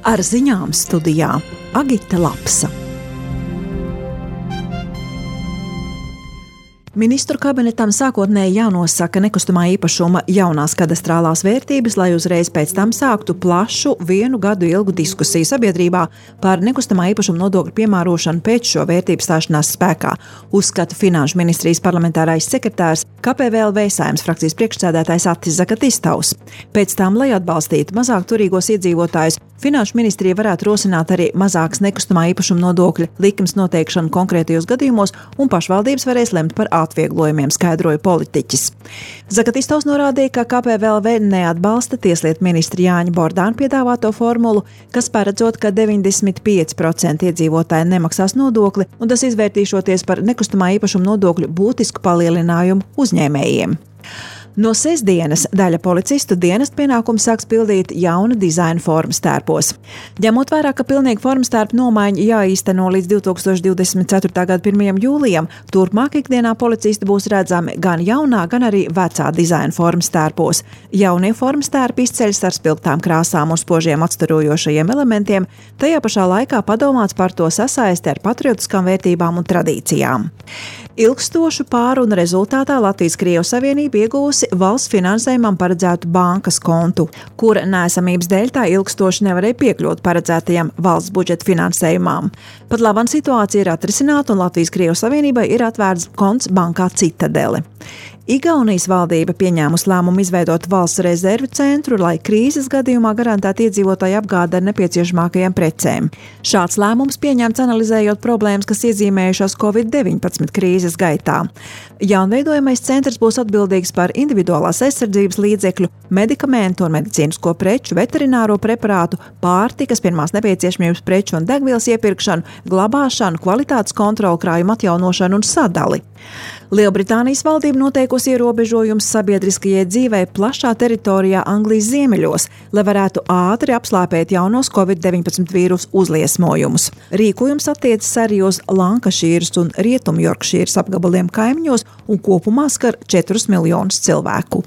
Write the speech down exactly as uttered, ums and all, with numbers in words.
Ar ziņām studijā Agita Lapsa. Ministru kabinetam sākotnēji jānosaka nekustamā īpašuma jaunās kadastrālās vērtības, lai uzreiz pēc tam sāktu plašu vienu gadu ilgu diskusiju sabiedrībā par nekustamā īpašuma nodokļu piemērošanu pēc šo vērtību stāšanās spēkā, uzskata Finanšu ministrijas parlamentārais sekretārs K P V L V Saeimas frakcijas priekšsēdētājs Attis Zagatistovs. Pēc tam, lai atbalstītu mazāk turīgos iedzīvotājus, Finanšu ministrija varētu rosināt arī mazākas nekustamā īpašuma nodokļa likmes noteikšanu konkrētajos gadījumos, un pašvaldības varēs lemt par atvieglojumiem, skaidroja politiķis. Zagatistovs norādīja, ka K P V L V neatbalsta tieslietu ministra Jāņa Bordāna piedāvāto formulu, kas paredzot, ka deviņdesmit pieci procenti iedzīvotāji nemaksās nodokli, un tas izvērtīšoties par nekustamā īpašuma nodokļu būtisku palielinājumu uzņēmējiem. No sestdienas daļa policistu dienestu pienākumu sāks pildīt jauna dizaina formas tērpos. Ņemot vērā, ka pilnīga formas tērpa nomaiņa jāīsteno līdz divi tūkstoši divdesmit ceturtā gada pirmajam jūlijam, turpmāk ikdienā policisti būs redzami gan jaunā, gan arī vecā dizaina formas tērpos. Jaunie formas tērpi izceļas ar spilgtām krāsām un spožiem atstarojošajiem elementiem, tajā pašā laikā padomāts par to sasaisti ar patriotiskām vērtībām un tradīcijām. Ilgstošu pārunu rezultātā Latvijas-Krievijas Savienība iegūsi valsts finansējumam paredzētu bankas kontu, kura neesamības dēļ tā ilgstoši nevarēja piekļūt paredzētajam valsts budžeta finansējumam. Pat labam situācija ir atrisināta un Latvijas-Krievijas Savienībai ir atvērts konts bankā Citadele. Igaunijas valdība pieņēmusi lēmumu izveidot valsts rezervi centru, lai krīzes gadījumā garantētu iedzīvotāju apgādi ar nepieciešamākajām precēm. Šāds lēmums pieņemts analizējot problēmas, kas iezīmējušās covid deviņpadsmit krīzes gaitā. Jaunveidojamais centrs būs atbildīgs par individuālās aizsardzības līdzekļu, medikamentu un medicīnisko preču, veterināro preparātu, pārtikas, pirmās nepieciešamības preču un degvielas iepirkšanu, glabāšanu, kvalitātes kontroli, krājumu atjaunošanu un sadali. Lielbritānijas valdība noteikusi ierobežojumus sabiedriskajai dzīvei plašā teritorijā Anglijas ziemeļos, lai varētu ātri apslāpēt jaunos covid deviņpadsmit vīrusu uzliesmojumus. Rīkojums attiecas arī uz Lankašīras un Rietumjorkšīras apgabaliem kaimiņos un kopumā skar četrus miljonus cilvēku.